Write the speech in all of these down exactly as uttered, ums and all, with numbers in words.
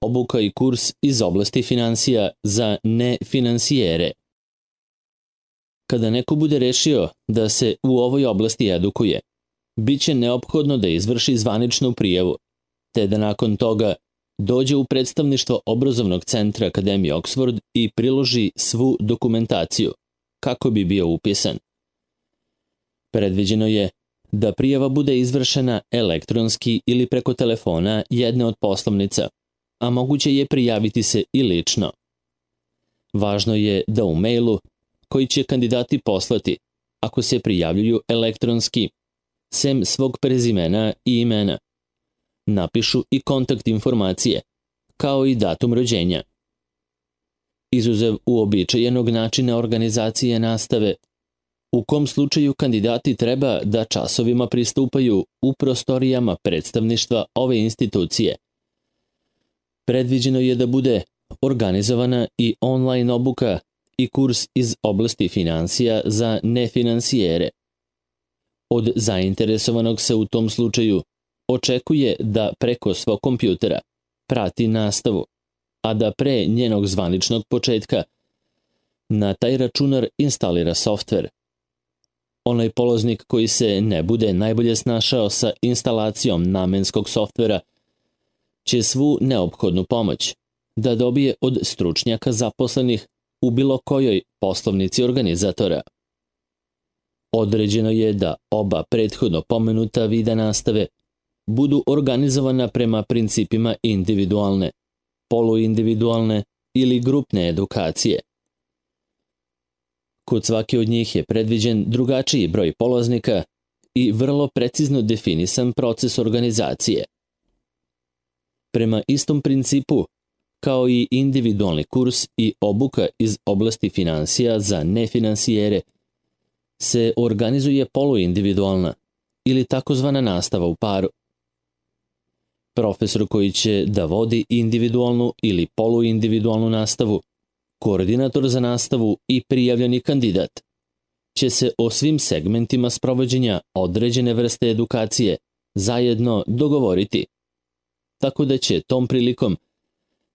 obuka i kurs iz oblasti finansija za nefinансijere. Kada neko bude rešio da se u ovoj oblasti edukuje, bit će neophodno da izvrši zvaničnu prijavu, te da nakon toga dođe u predstavništvo obrazovnog centra Akademije Oxford i priloži svu dokumentaciju, kako bi bio upisan. Predviđeno je da prijava bude izvršena elektronski ili preko telefona jedne od poslovnica, a moguće je prijaviti se i lično. Važno je da u mailu, koji će kandidati poslati, ako se prijavljuju elektronski, sem svog prezimena i imena, napišu i kontakt informacije, kao i datum rođenja. Izuzev uobičajenog načina organizacije nastave, u kom slučaju kandidati treba da časovima pristupaju u prostorijama predstavništva ove institucije. Predviđeno je da bude organizovana i online obuka i kurs iz oblasti finansija za nefinансijere. Od zainteresovanog se u tom slučaju očekuje da preko svog kompjutera prati nastavu, a da pre njenog zvaničnog početka na taj računar instalira softver. Onaj polaznik koji se ne bude najbolje snašao sa instalacijom namenskog softvera će svu neophodnu pomoć da dobije od stručnjaka zaposlenih u bilo kojoj poslovnici organizatora. Određeno je da oba prethodno pomenuta vida nastave budu organizovana prema principima individualne, poluindividualne ili grupne edukacije. Kod svake od njih je predviđen drugačiji broj polaznika i vrlo precizno definisan proces organizacije. Prema istom principu, kao i individualni kurs i obuka iz oblasti finansija za nefinansijere, se organizuje poluindividualna ili takozvana nastava u paru. Profesor koji će da vodi individualnu ili poluindividualnu nastavu, koordinator za nastavu i prijavljeni kandidat će se o svim segmentima sprovođenja određene vrste edukacije zajedno dogovoriti, tako da će tom prilikom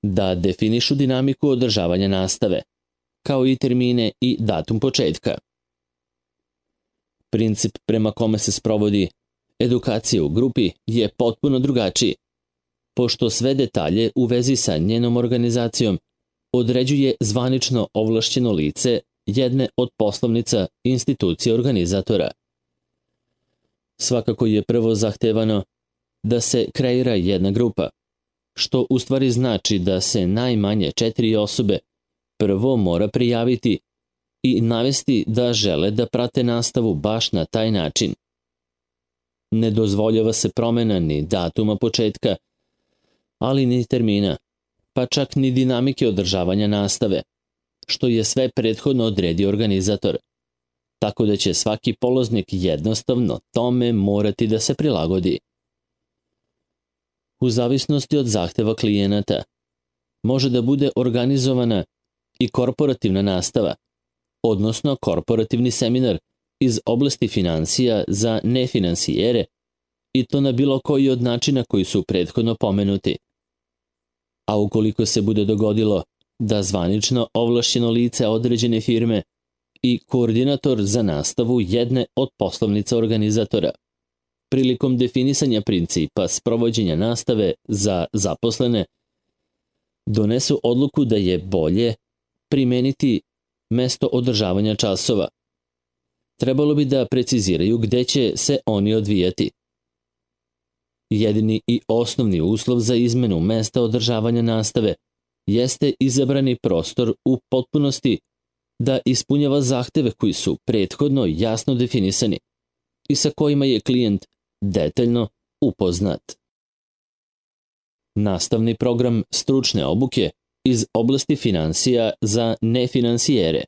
da definišu dinamiku održavanja nastave, kao i termine i datum početka. Princip prema kome se sprovodi edukacija u grupi je potpuno drugačiji, pošto sve detalje u vezi sa njenom organizacijom određuje zvanično ovlašćeno lice jedne od poslovnica institucije organizatora. Svakako je prvo zahtevano da se kreira jedna grupa, što u stvari znači da se najmanje četiri osobe prvo mora prijaviti i navesti da žele da prate nastavu baš na taj način. Ne dozvoljava se promena ni datuma početka, ali ni termina, pa čak ni dinamike održavanja nastave, što je sve prethodno odredio organizator, tako da će svaki polaznik jednostavno tome morati da se prilagodi. U zavisnosti od zahteva klijenata, može da bude organizovana i korporativna nastava, odnosno korporativni seminar iz oblasti finansija za nefinansijere, i to na bilo koji od načina koji su prethodno pomenuti. A ukoliko se bude dogodilo da zvanično ovlašćeno lice određene firme i koordinator za nastavu jedne od poslovnica organizatora, prilikom definisanja principa sprovođenja nastave za zaposlene, donesu odluku da je bolje primeniti mesto održavanja časova, trebalo bi da preciziraju gde će se oni odvijati. Jedini i osnovni uslov za izmenu mesta održavanja nastave jeste izabrani prostor u potpunosti da ispunjava zahteve koji su prethodno jasno definisani i sa kojima je klijent detaljno upoznat. Nastavni program stručne obuke iz oblasti finansija za nefinansijere.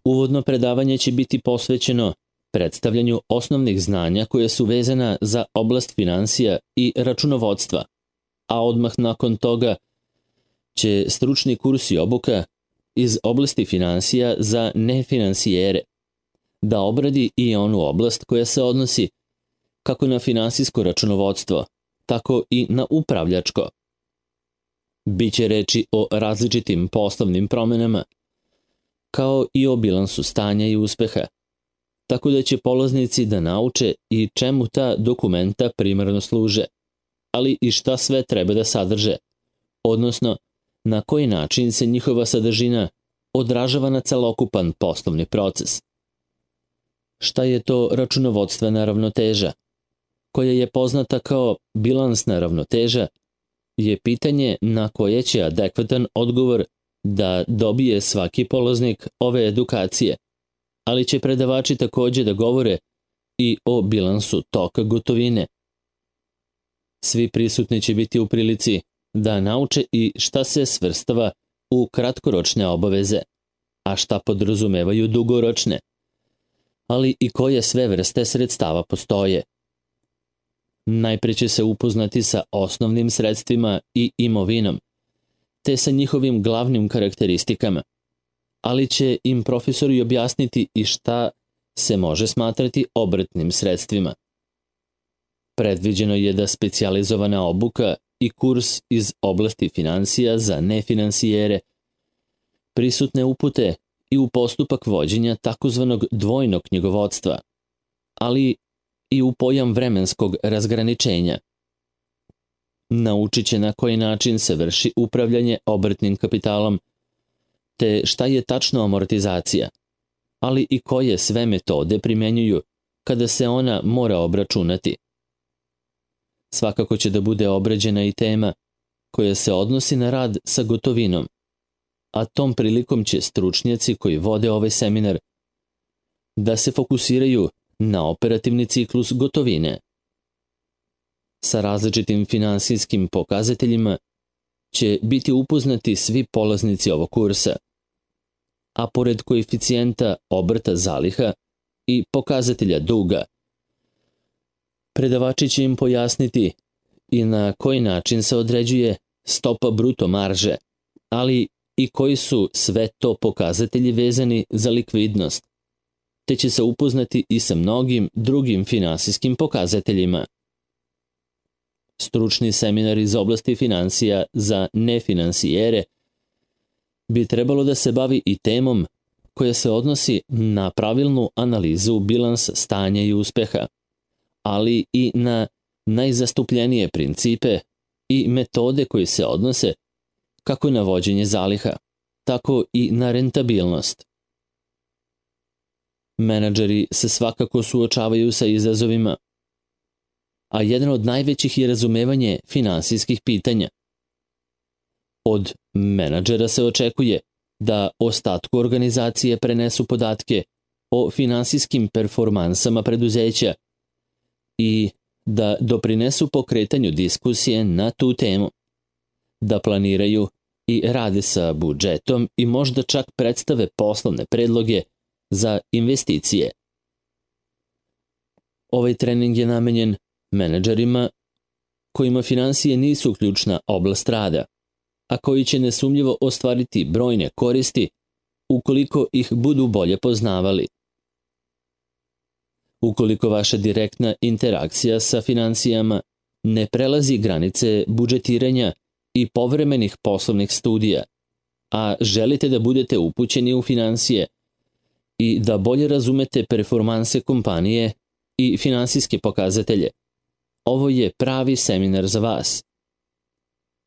Uvodno predavanje će biti posvećeno predstavljanju osnovnih znanja koje su vezana za oblast finansija i računovodstva, a odmah nakon toga će stručni kurs i obuka iz oblasti finansija za nefinansijere da obradi i onu oblast koja se odnosi kako na finansijsko računovodstvo, tako i na upravljačko, Biće reči o različitim poslovnim promenama, kao i o bilansu stanja i uspeha, tako da će polaznici da nauče i čemu ta dokumenta primarno služe, ali i šta sve treba da sadrže, odnosno na koji način se njihova sadržina odražava na celokupan poslovni proces. Šta je to računovodstvena ravnoteža, koja je poznata kao bilansna ravnoteža, je pitanje na koje će adekvatan odgovor da dobije svaki polaznik ove edukacije, ali će predavači takođe da govore i o bilansu toka gotovine. Svi prisutni će biti u prilici da nauče i šta se svrstava u kratkoročne obaveze, a šta podrazumevaju dugoročne, ali i koje sve vrste sredstava postoje. Najpre će se upoznati sa osnovnim sredstvima i imovinom, te sa njihovim glavnim karakteristikama, ali će im profesori objasniti i šta se može smatrati obrtnim sredstvima. Predviđeno je da specijalizovana obuka i kurs iz oblasti finansija za nefinansijere prisutne upute i u postupak vođenja takozvanog dvojnog knjigovodstva, ali i u pojam vremenskog razgraničenja. Naučit će na koji način se vrši upravljanje obrtnim kapitalom, te šta je tačno amortizacija, ali i koje sve metode primenjuju kada se ona mora obračunati. Svakako će da bude obrađena i tema koja se odnosi na rad sa gotovinom, a tom prilikom će stručnjaci koji vode ovaj seminar da se fokusiraju na operativni ciklus gotovine. Sa različitim finansijskim pokazateljima će biti upoznati svi polaznici ovog kursa, a pored koeficijenta obrta zaliha i pokazatelja duga, predavači će im pojasniti i na koji način se određuje stopa bruto marže, ali i koji su sve to pokazatelji vezani za likvidnost, te će se upoznati i sa mnogim drugim finansijskim pokazateljima. Stručni seminar iz oblasti finansija za nefinansijere bi trebalo da se bavi i temom koja se odnosi na pravilnu analizu bilansa stanja i uspeha, ali i na najzastupljenije principe i metode koje se odnose kako na vođenje zaliha, tako i na rentabilnost. Menadžeri se svakako suočavaju sa izazovima, a jedan od najvećih je razumevanje finansijskih pitanja. Od menadžera se očekuje da ostatku organizacije prenesu podatke o finansijskim performansama preduzeća i da doprinesu pokretanju diskusije na tu temu, da planiraju i rade sa budžetom i možda čak predstave poslovne predloge za investicije. Ovaj trening je namenjen menadžerima kojima finansije nisu ključna oblast rada, a koji će nesumnjivo ostvariti brojne koristi ukoliko ih budu bolje poznavali. Ukoliko vaša direktna interakcija sa finansijama ne prelazi granice budžetiranja i povremenih poslovnih studija, a želite da budete upućeni u finansije i da bolje razumete performanse kompanije i finansijske pokazatelje, ovo je pravi seminar za vas.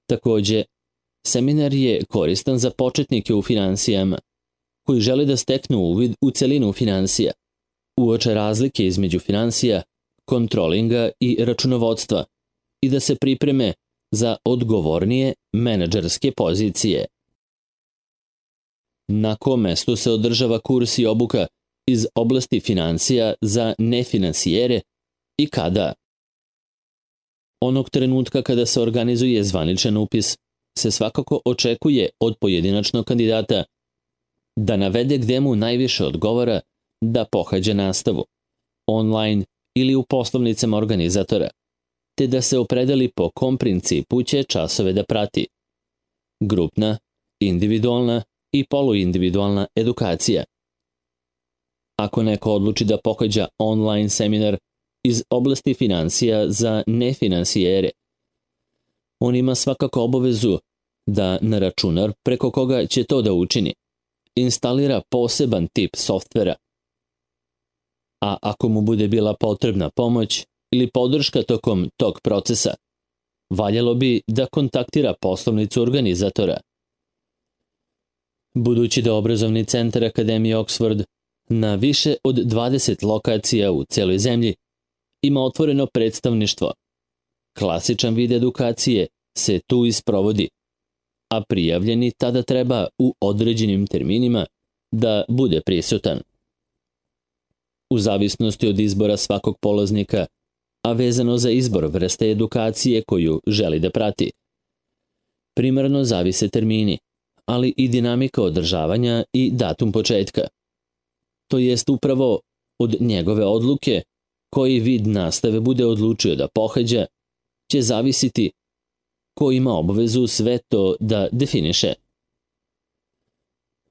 Takođe, seminar je koristan za početnike u finansijama, koji žele da steknu uvid u celinu finansija, uoče razlike između finansija, kontrolinga i računovodstva i da se pripreme za odgovornije menadžerske pozicije. Na kom mestu se održava kurs i obuka iz oblasti finansija za nefinansijere i kada? Onog trenutka kada se organizuje zvaničan upis, se svakako očekuje od pojedinačnog kandidata da navede gde mu najviše odgovara da pohađa nastavu, online ili u poslovnicama organizatora, te da se opredeli po kom principu će časove da prati. Grupna, individualna i poluindividualna edukacija. Ako neko odluči da pohađa online seminar iz oblasti finansija za nefinansijere, on ima svakako obavezu da na računar preko koga će to da učini instalira poseban tip softvera. A ako mu bude bila potrebna pomoć ili podrška tokom tog procesa, valjalo bi da kontaktira poslovnicu organizatora. Budući da obrazovni centar Akademije Oxford na više od dvadeset lokacija u celoj zemlji ima otvoreno predstavništvo, klasičan vid edukacije se tu isprovodi, a prijavljeni tada treba u određenim terminima da bude prisutan. U zavisnosti od izbora svakog polaznika, a vezano za izbor vrste edukacije koju želi da prati, primarno zavise termini, ali i dinamika održavanja i datum početka. To jest upravo od njegove odluke koji vid nastave bude odlučio da pohađa, će zavisiti ko ima obavezu sve to da definiše.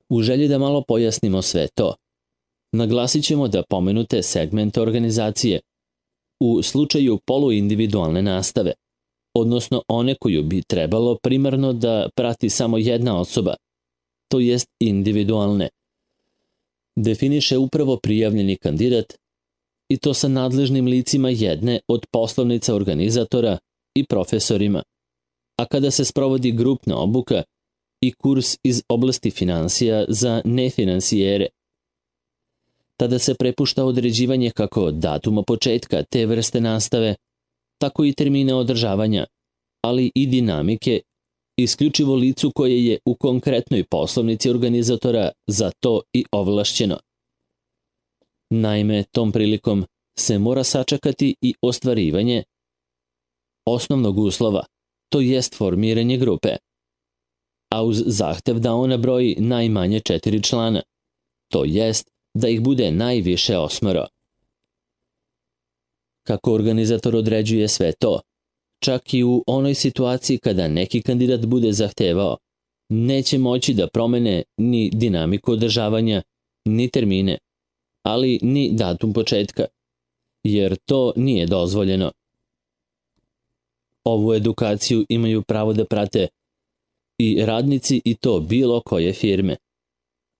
U želji da malo pojasnimo sve to, naglasit ćemo da pomenute segmente organizacije u slučaju poluindividualne nastave, odnosno one koju bi trebalo primarno da prati samo jedna osoba, to jest individualne, definiše upravo prijavljeni kandidat i to sa nadležnim licima jedne od poslovnica organizatora i profesorima, a kada se sprovodi grupna obuka i kurs iz oblasti finansija za nefinansijere, tada se prepušta određivanje kako datuma početka te vrste nastave, tako i termina održavanja, ali i dinamike isključivo licu koje je u konkretnoj poslovnici organizatora za to i ovlašćeno. Naime, tom prilikom se mora sačekati i ostvarivanje osnovnog uslova, to jest formiranje grupe, a uz zahtev da ona broji najmanje četiri člana, to jest da ih bude najviše osmoro. Kako organizator određuje sve to, čak i u onoj situaciji kada neki kandidat bude zahtevao, neće moći da promene ni dinamiku održavanja, ni termine, ali ni datum početka, jer to nije dozvoljeno. Ovu edukaciju imaju pravo da prate i radnici i to bilo koje firme,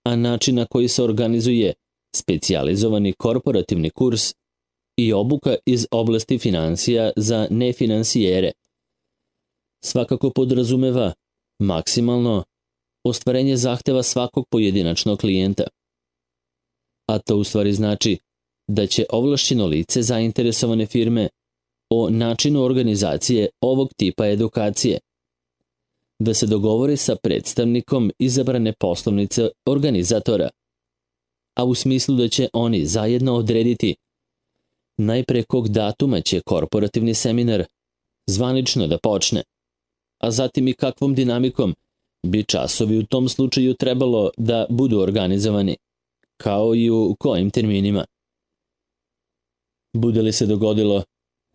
a način na koji se organizuje specijalizovani korporativni kurs i obuka iz oblasti finansija za nefinansijere svakako podrazumeva maksimalno ostvarenje zahteva svakog pojedinačnog klijenta. A to u stvari znači da će ovlašćeno lice zainteresovane firme o načinu organizacije ovog tipa edukacije da se dogovori sa predstavnikom izabrane poslovnice organizatora, a u smislu da će oni zajedno odrediti najpre kog datuma će korporativni seminar zvanično da počne, a zatim i kakvom dinamikom bi časovi u tom slučaju trebalo da budu organizovani, kao i u kojim terminima. Bude li se dogodilo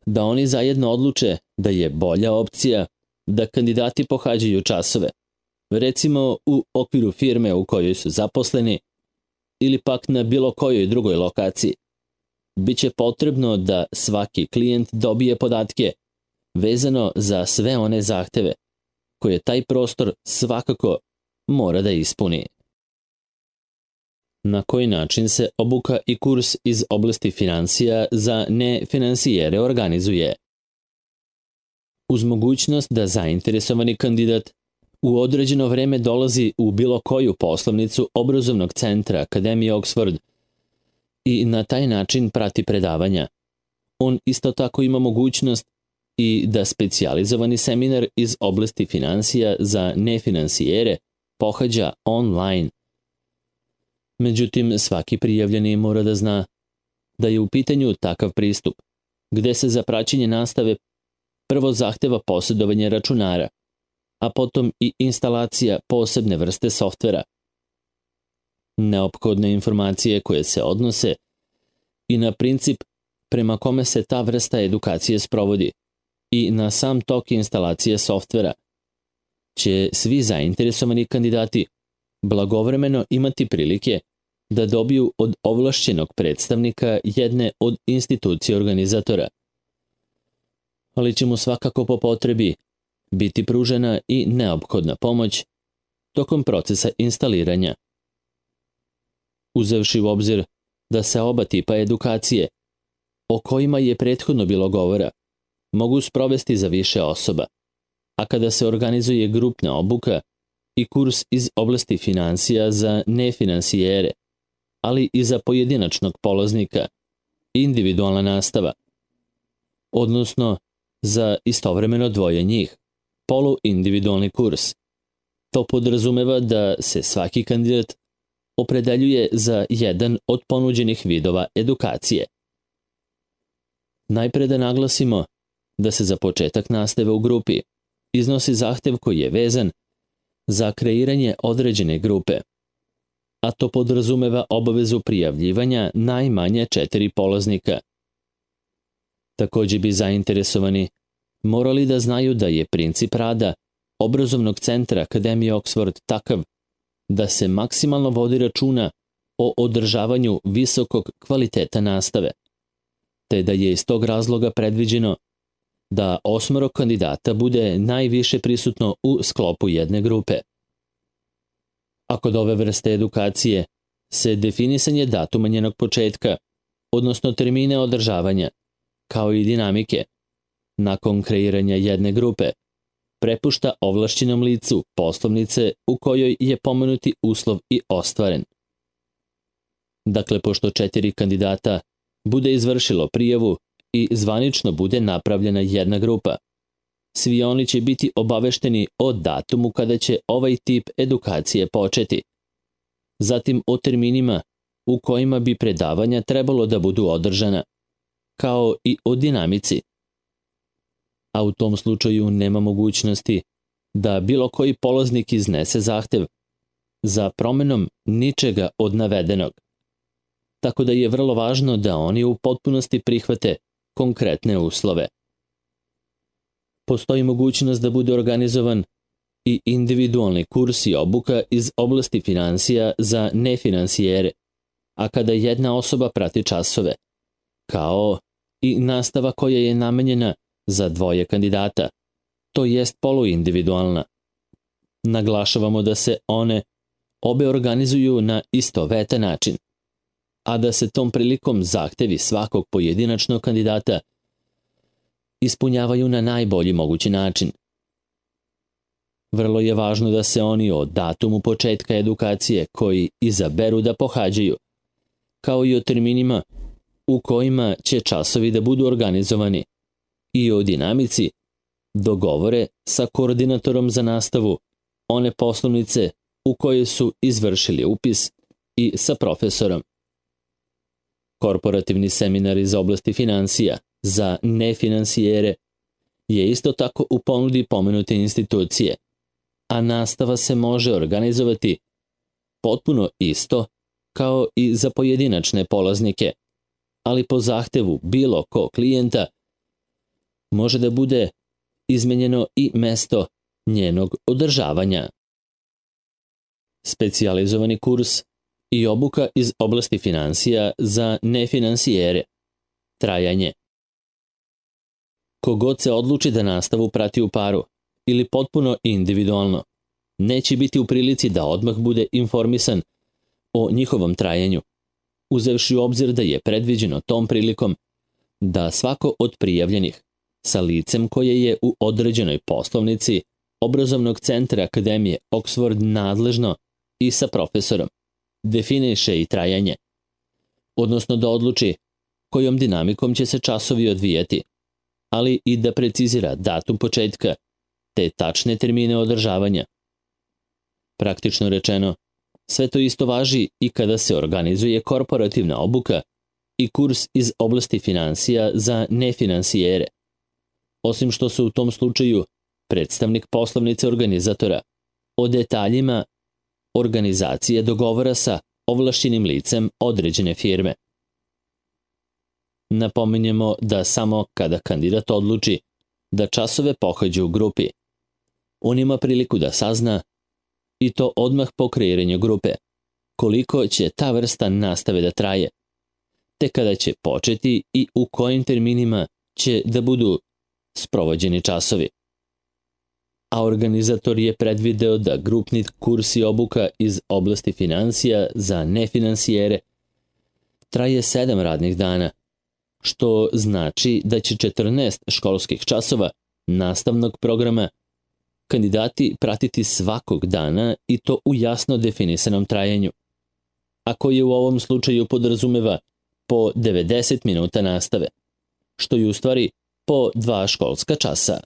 da oni zajedno odluče da je bolja opcija da kandidati pohađaju časove, recimo u okviru firme u kojoj su zaposleni ili pak na bilo kojoj drugoj lokaciji, biće potrebno da svaki klijent dobije podatke vezano za sve one zahteve koje taj prostor svakako mora da ispuni. Na koji način se obuka i kurs iz oblasti finansija za nefinansijere organizuje? Uz mogućnost da zainteresovani kandidat u određeno vreme dolazi u bilo koju poslovnicu obrazovnog centra Akademije Oxford i na taj način prati predavanja, on isto tako ima mogućnost i da specijalizovani seminar iz oblasti finansija za nefinansijere pohađa online. Međutim, svaki prijavljeni mora da zna da je u pitanju takav pristup, gde se za praćenje nastave prvo zahteva posjedovanje računara, a potom i instalacija posebne vrste softvera. Neophodne informacije koje se odnose i na princip prema kome se ta vrsta edukacije sprovodi i na sam tok instalacije softvera će svi zainteresovani kandidati blagovremeno imati prilike da dobiju od ovlašćenog predstavnika jedne od institucije organizatora. Ali će mu svakako po potrebi biti pružena i neophodna pomoć tokom procesa instaliranja. Uzevši u obzir da se oba tipa edukacije, o kojima je prethodno bilo govora, mogu sprovesti za više osoba, a kada se organizuje grupna obuka i kurs iz oblasti finansija za nefinansijere, ali i za pojedinačnog polaznika, individualna nastava, odnosno za istovremeno dvoje njih, poluindividualni kurs. To podrazumeva da se svaki kandidat opredeljuje za jedan od ponuđenih vidova edukacije. Najpre da naglasimo da se za početak nastave u grupi iznosi zahtev koji je vezan za kreiranje određene grupe, a to podrazumeva obavezu prijavljivanja najmanje četiri polaznika. Takođe bi zainteresovani morali da znaju da je princip rada obrazovnog centra Akademije Oxford takav da se maksimalno vodi računa o održavanju visokog kvaliteta nastave, te da je iz tog razloga predviđeno da osmoro kandidata bude najviše prisutno u sklopu jedne grupe. A kod ove vrste edukacije se definisanje datuma njenog početka, odnosno termine održavanja, kao i dinamike, nakon kreiranja jedne grupe, prepušta ovlašćenom licu poslovnice u kojoj je pomenuti uslov i ostvaren. Dakle, pošto četiri kandidata bude izvršilo prijavu i zvanično bude napravljena jedna grupa, svi oni će biti obavešteni o datumu kada će ovaj tip edukacije početi, zatim o terminima u kojima bi predavanja trebalo da budu održana, kao i o dinamici. A u tom slučaju nema mogućnosti da bilo koji polaznik iznese zahtev za promenom ničega od navedenog. Tako da je vrlo važno da oni u potpunosti prihvate konkretne uslove. Postoji mogućnost da bude organizovan i individualni kurs i obuka iz oblasti finansija za nefinansijere, a kada jedna osoba prati časove, kao i nastava koja je namenjena za dvoje kandidata, to jest poluindividualna. Naglašavamo da se one obe organizuju na istovetan način, a da se tom prilikom zahtevi svakog pojedinačnog kandidata ispunjavaju na najbolji mogući način. Vrlo je važno da se oni o datumu početka edukacije koji izaberu da pohađaju, kao i o terminima u kojima će časovi da budu organizovani i o dinamici dogovore sa koordinatorom za nastavu one poslovnice u koje su izvršili upis i sa profesorom. Korporativni seminar iz oblasti finansija za nefinansijere je isto tako u ponudi pomenute institucije, a nastava se može organizovati potpuno isto kao i za pojedinačne polaznike, ali po zahtevu bilo ko klijenta može da bude izmenjeno i mesto njenog održavanja. Specijalizovani kurs i obuka iz oblasti finansija za nefinansijere. Trajanje. Kogod se odluči da nastavu prati u paru ili potpuno individualno, neće biti u prilici da odmah bude informisan o njihovom trajanju, uzevši u obzir da je predviđeno tom prilikom da svako od prijavljenih sa licem koje je u određenoj poslovnici obrazovnog centra Akademije Oxford nadležno i sa profesorom definiše i trajanje, odnosno da odluči kojom dinamikom će se časovi odvijati, ali i da precizira datum početka te tačne termine održavanja. Praktično rečeno, sve to isto važi i kada se organizuje korporativna obuka i kurs iz oblasti finansija za nefinansijere, osim što se u tom slučaju predstavnik poslovnice organizatora o detaljima organizacije dogovora sa ovlašćenim licem određene firme. Napominjemo da samo kada kandidat odluči da časove pohađa u grupi, on ima priliku da sazna, i to odmah po kreiranju grupe, koliko će ta vrsta nastave da traje, te kada će početi i u kojim terminima će da budu sprovođeni časovi. a organizator je predvideo da grupni kurs i obuka iz oblasti financija za nefinansijere traje sedam radnih dana, što znači da će četrnaest školskih časova nastavnog programa kandidati pratiti svakog dana i to u jasno definisanom trajanju, a koje u ovom slučaju podrazumeva po devedeset minuta nastave, što je u stvari po dva školska časa.